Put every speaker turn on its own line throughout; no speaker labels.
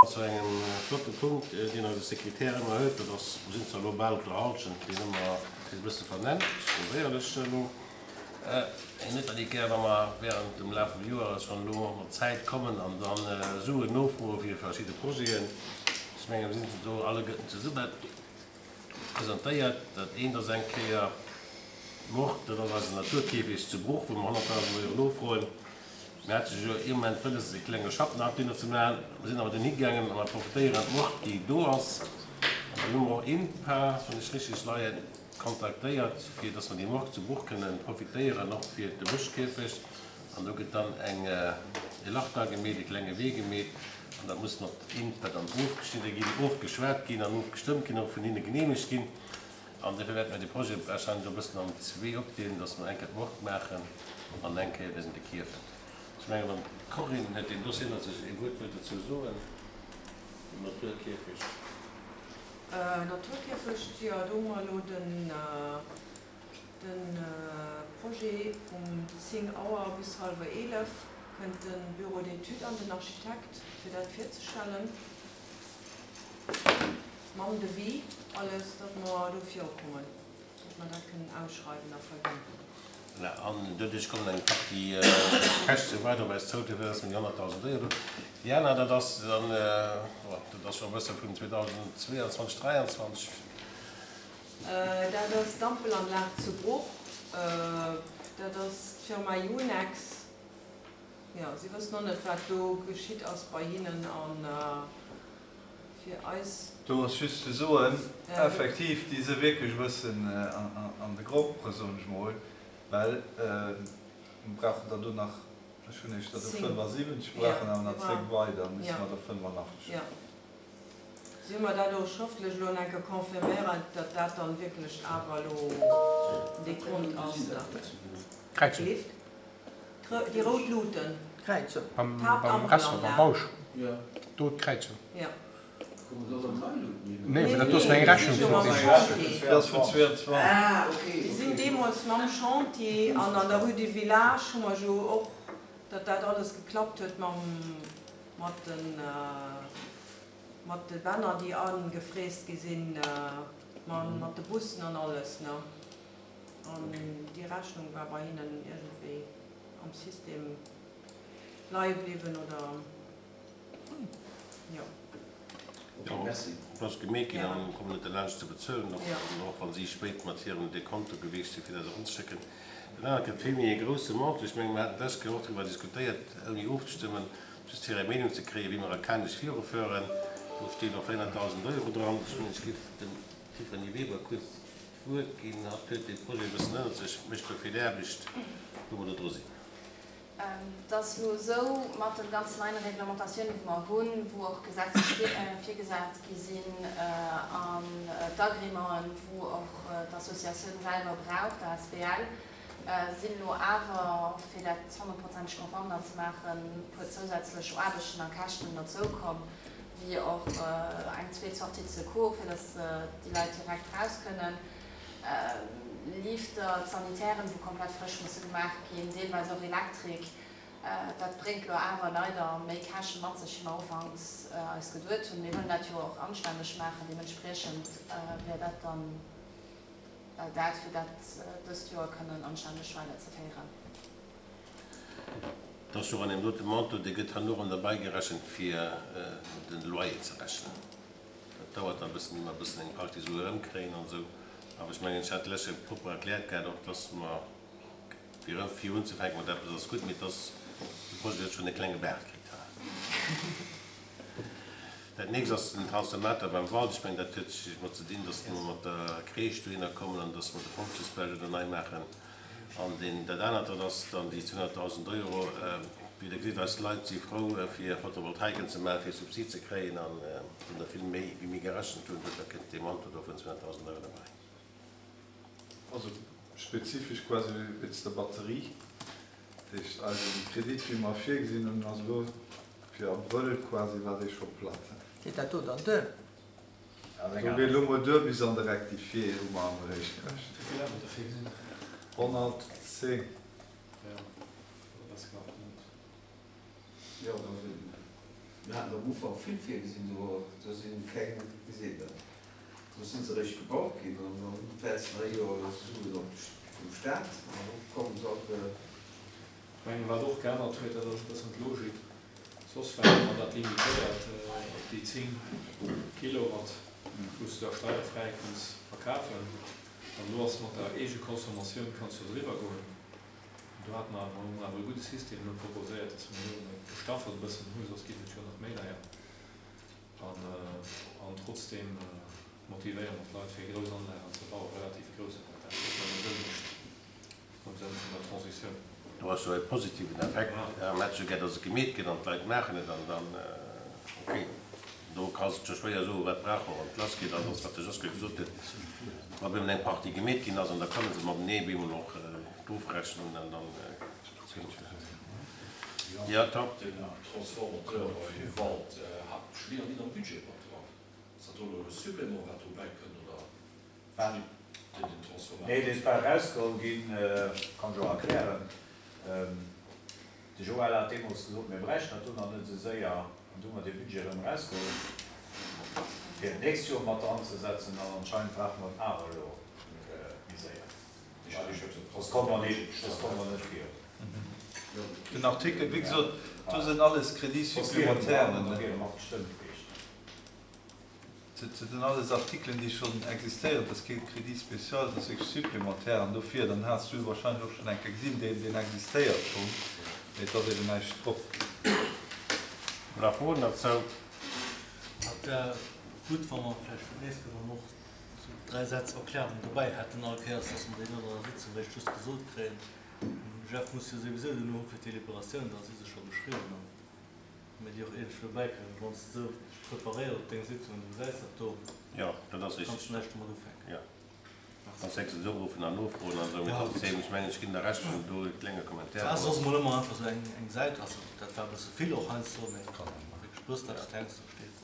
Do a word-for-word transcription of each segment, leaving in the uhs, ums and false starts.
Zu engem flotte Punkt, deen eise Sekretär ëmmer huet, dat ass, mer sinn zwar elo bal op der Halschent, deen ëmmer e bësse vernennt, ech korrigéieren lech elo, hien huet dat ni gär, wa mer während dem Laf vum Joer schonn elo mat Zäit kommen an da Suen nofroe fir verschidde Projeten. Ech menge mir sinn do alleguerten zesumme presentéiert. Dat eent ass eng Kéier d'Morgue, dat ass eisen Naturkäfig zu Bruch, wou mer honnertdausend Euro nofroen. Mir hate jo ee Moment wëlles, e klenge Schapp nach dohinner ze maachen. Mir sinn awer dunn higaangen a mer profitéieren d'Morgue, déi do ass. An dann hu mer och INPA, wann ech richtig leien, kontaktéiert, fir dass mer déi Morgue zu Bruch kënnen profitéieren, och fir de Bëschkierfecht. An do gëtt dann eng, e Lach dra gemeet, e klenge Wee gemeet. An dat muss mat INPA dann ofgeschnidde ginn, ofgeschwat ginn an ofgestëmmt ginn, och vun hinne geneemegt ginn. An dofir wäerte mir de Projet warscheinlech och e bëssen an zwee opdeelen, dass mer eng Kéier d'Morgue maachen an eng Kéier den de Kierfent. Ech mengen, wann d'Corinne huet deen Dossier ënnert sech, ee Wuert wëllt dozou soen, den Naturkierfecht.
Naturkierfecht, jo, do hu mer elo den de Projet um zéng Auer bis hallwer eelef kënnt de Bureau d'études an den Architekt, fir dat virzestellen, mam Devis, alles, datt mer do virukommen, datt mer dat kënnen ausschreiwen a verginn.
Voilà, an doduerch kommen eng Partie Käschte weider op eis zou, dofir ass mir déi honnertdausend Euro do. Déi aner, dat ass dann, bon, dat ass scho e bësse vun zweedausendzweeanzwanzeg, dräianzwanzeg.
Dat ass d'Ampelanlag zu Bruch. Dat ass d'Firma Yunex. Jo, si wëssen och net, wat do geschitt ass bei hinnen. A fir eis.
Do ass just ze soen, effektiv, déi si wierklech e bëssen an de Grompere, soen ech mol, well mir brauchen der do nach, ech hunn éischter do fënnefasiwwenzeg, mir brauchen awer nach zéng weider, da si mer der fënnefanachteg.
Jo. Si hu mer dat och schrëftlech elo nach eng Kéier confirméiert, datt dat dann wierklech awer elo den Dekont ass.
Kräizung.
Déi rout Luuten.
D'Kräizung. Beim Restaurant, beim Bausch. Do d'Kräizung.
Jo.
Nee, well dat do ass nach eng Rechnung vun deem.
Dat ass vun zweeanzwanzeg.
Déi sinn deemools mam Chantier an an der Rue du Village hu mer jo och, datt dat alles geklappt huet mam, mat de, mat de Bänner, déi agefräst gi sinn, mat de Bussen an alles, ne. An déi Rechnung war bei hinnen iergendwéi am System leie bliwwen, oder? Jo.
Jo, et ass gemeet ginn an kommen net derlaanscht ze bezuelen, och wa si spéit mat hirem Dekonto gewiescht sinn, fir dat eranzeschécken. Dat anert gëtt vill méi e grousse Montant. Ech mengen, mir haten d'lescht Kéier och driwwer diskutéiert, ouni ofzestëmmen, just fir eng Meenung ze kréien, wéi mer a Kanech virufueren. Do stinn och véierhonnertdausend Euro dran. Ech mengen, ech géif dem Tiffany Weber kuerz d'Wuert ginn. Hatt huet dee Projet e bëssen ënnert sech, mécht do vill Aarbecht, wou mer do dru sinn.
Et ass elo esou, mat de ganzen neien Reglementatiounen, wou mer hunn, wou och gesetzlech virgesat gi sinn, an d'Agrémenten, wou och d'Associatioun selwer brauch, d'A S B L, sinn elo awer, fir dat honnertprozenteg konform dann ze maachen, e puer zousätzlech Aarbechten a Käschten derzoukomm, wéi och eng zweet Sortie de secours, fir dass déi Leit direkt raus kënnen. Lifter, d'Sanitären, wou komplett frësch musse gemaach ginn, deelweis och Elektrik. Dat bréngt elo awer leider méi Käschte mat sech, wéi mer ufanks eis geduet hunn. Mir wëllen dat jo och anstänneg maachen. Deementspriechend wär dat dann dat, fir dat dëst Joer kënnen anstänneg weiderzeféieren.
Et ass jo och an deem dote Montant, dee gëtt herno erëm derbäigerechent, fir den Loyer ze rechnen. Dat dauert da e bëssen, ier mer e bëssen eng Partie Sue erëmkréien an esou. Awer ech mengen, ech hat lech jo propper erkläert gehat och, dass mer, fir erëm vir unzefänken mat eppes ass gutt, mee dass de Projet huet schonn e klenge Baart kritt. Dat nächst ass den Transformateur beim Wald. Ech mengen, dat huet mat ze dinn, dass mer mat der Crèche dohinner kommen an dass mer de Pompjeesbau do nei maachen. An deen, dat anert, dat ass dann déi zweehonnertdausend Euro. Wéi Der gesitt, eis Leit si frou, fir Photovoltaiken ze maachen, fir Subsid ze kréien. An et sinn der vill méi, wéi mir gerechent hunn. Duerfir kënnt dee Manto do vun zweehonnertdausend Euro derbäi.
Also spezifesch quasi wéinst der Batterie. Dat heescht, eise Kredit, wéi mer virgesinn hunn, ass elo fir Abrëll quasi war dee scho platt.
Geet dat do dann duer?
Do geet elo mol duer bis an de Rectifié, hu mer am Eréischt gerechent.
Wéi vill hat mer do virgesinn?
honnertzéng.
Jo, dat ass knapp net. Jo, da sinn.
Mir haten am Ufank vill virgesinn, do do si keng gesinn. Do si se eréischt gebaut ginn an dann wäerts nach ee Joer Suen op vum Staat an da kommen se all.
Ech mengen, wat och geännert huet, dat ass e bëssen d'Logik, soss war ëmmer dat limitéiert op déi zéng Kilowatt, wou s de da steierfräi kanns verkafen. An elo ass mat der Eegeconsommatioun, kanns du driwwer goen. An do hate mer awer, hu mer awer e gudde System elo proposéiert, dass mer elo et gestaffelt e bëssen hu, soss géif et jo nach méi deier. An, an trotzdeem motivéiere mer d'Leit, fir grouss Anlagen ze bauen, relativ grouss, awer dat wat nëmme Sënn mécht am Sënn vun der Transitioun.
Do ass jo e positiven Effekt am Match, esouguer datt et gemeet gëtt an d'Leit maachen et an dann, ok, do kanns de scho schwéier soen, wat brauch mer, wann et lass geet. An ass, wat de Josquin gesot huet, wa bemol eng Partie gemeet ginn ass an da kënne se matenee bemol och d'ofrechnen an dann, jo, Tom.
Den Transformateur bei Wald hat ech mir net am Budget mat dran. Ass dat do elo e Supplément wat dobäi kënnt oder
Wat?
Den den Transformateur?
Nee, dee war erausgeholl ginn, kann ech och erklären. De Joël hat deemools gesot, mir bräichten dat do nach net esou séier an du hu mer dee Budget erëm erausgeholl fir et d'nächst Joer mat dranzesetzen an anscheinend brauche mer et awer elo méi séier. Soss komme mer net, soss komme mer net virun.
Den Artikel, wéi gesot, do sinn alles Crédits supplémentaires.
Da wiere mat gestëmmt gewiescht.
Dat sinn alles Artikelen, déi schonn existéieren. Dat ass kee Crédit spécial, dat ass wierklech supplémentaire. An dofir, dann has du wahrscheinlech och schonn eng Kéier gesinn, deen, deen existéiert schonn, mee et ass eben näischt drop.
Nach Froen derzou?
Et wär gutt, wa mer vläicht fir d'nächst Kéier dann och esou dräi Sätz Erklärung dobäi hätten all Kéiers, dass mer déi net an der Sitzung réischt just gesot kréien. Den Jeff muss jo souwisou duerno hu fir d'Deliberatioun, da si se scho geschriwwen an mir déi och iergendwéi dobäi kréien. Wann s de esou dech preparéiers op deng Sitzung an du gesäis dat do,
Jo, dat ass
kanns
richteg.
du näischt domat ufänken.
Jo, Merci. Sonst héchstens uruffen an nofroen an esou. Mee trotzdem, ech mengen, ech ginn der Recht, wann do e klenge Commentaire
War
ass.
soss mol ëmmer einfach esou eng eng Säit, also dat war e bësse vill och heiansdo, mee wierklech bëssen eppes Klenges do steet.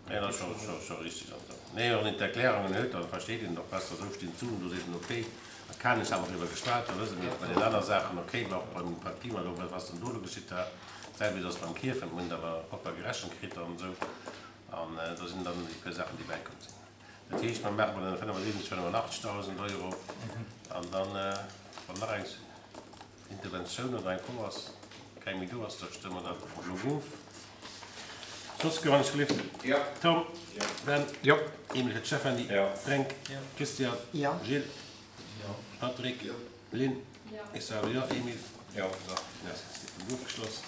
Nee, dat ass scho, scho, scho richteg an esou. Nee, wann een d'Erklärungen huet, da versteet een et och besser. Esou stinn d'Suen do, seet een, okay, a Kanech hu mer driwwer geschwat, da wësse mir et bei den aner Saachen, okay, mä och beim Pi mol Dom, wat ass denn do elo geschitt da? D'selwecht ass beim Kierfent, mir hunn et awer propper gerechent kritt an esou, an do sinn dann déi puer Saachen, déi bäikomm sinn. Dat heescht, mer maache bei den fënnefasiwwenzeg, fënnefundachtzegdausend Euro an dann, wann nach eng Interventioun oder eng Fro ass, keng méi do ass, da stëmme mer dat elo of. Soss gouf alles gelift? Tom? Ben? Emil fir d'Stéphanie? Fränk? Christian? Gilles? Patrick? Lynn? Ech soe jo. Emil? Jo. Merci. Sitzung ofgeschloss.